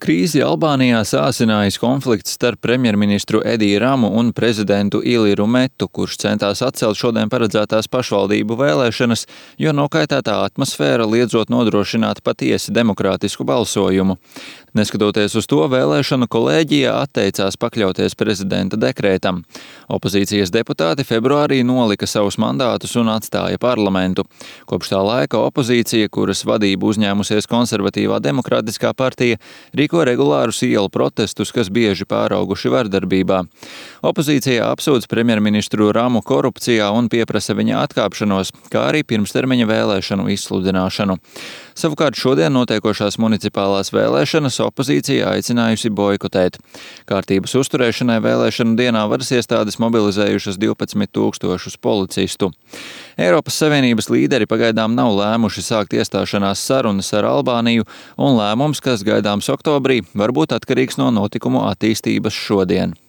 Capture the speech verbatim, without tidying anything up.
Krīzi Albānijā sāsinājis konflikts starp premjerministru Ediju Ramu un prezidentu Iliru Metu, kurš centās atcelt šodien paredzētās pašvaldību vēlēšanas, jo nokaitētā atmosfēra liedzot nodrošināt patiesi demokrātisku balsojumu. Neskatoties uz to, vēlēšanu kolēģija atteicās pakļauties prezidenta dekrētam. Opozīcijas deputāti februārī nolika savus mandātus un atstāja parlamentu. Kopš tā laika opozīcija, kuras vadību uzņēmusies konservatīvā demokrātiskā partija, rīko regulārus ielu protestus, kas bieži pārauguši vardarbībā. Opozīcija apsūdz premjerministru Ramu korupcijā un pieprasa viņa atkāpšanos, kā arī pirmstermiņa vēlēšanu izsludināšanu. Savukārt šodien notiekošās municipālās vēlēšanas opozīcija aicinājusi boikotēt. Kārtības uzturēšanai vēlēšanu dienā varas iestādes mobilizējušas divpadsmit tūkstošus policistu. Eiropas Savienības līderi pagaidām nav lēmuši sākt iestāšanās sarunas ar Albāniju, un lēmums, kas gaidāms oktobrī, var būt atkarīgs no notikumu attīstības šodien.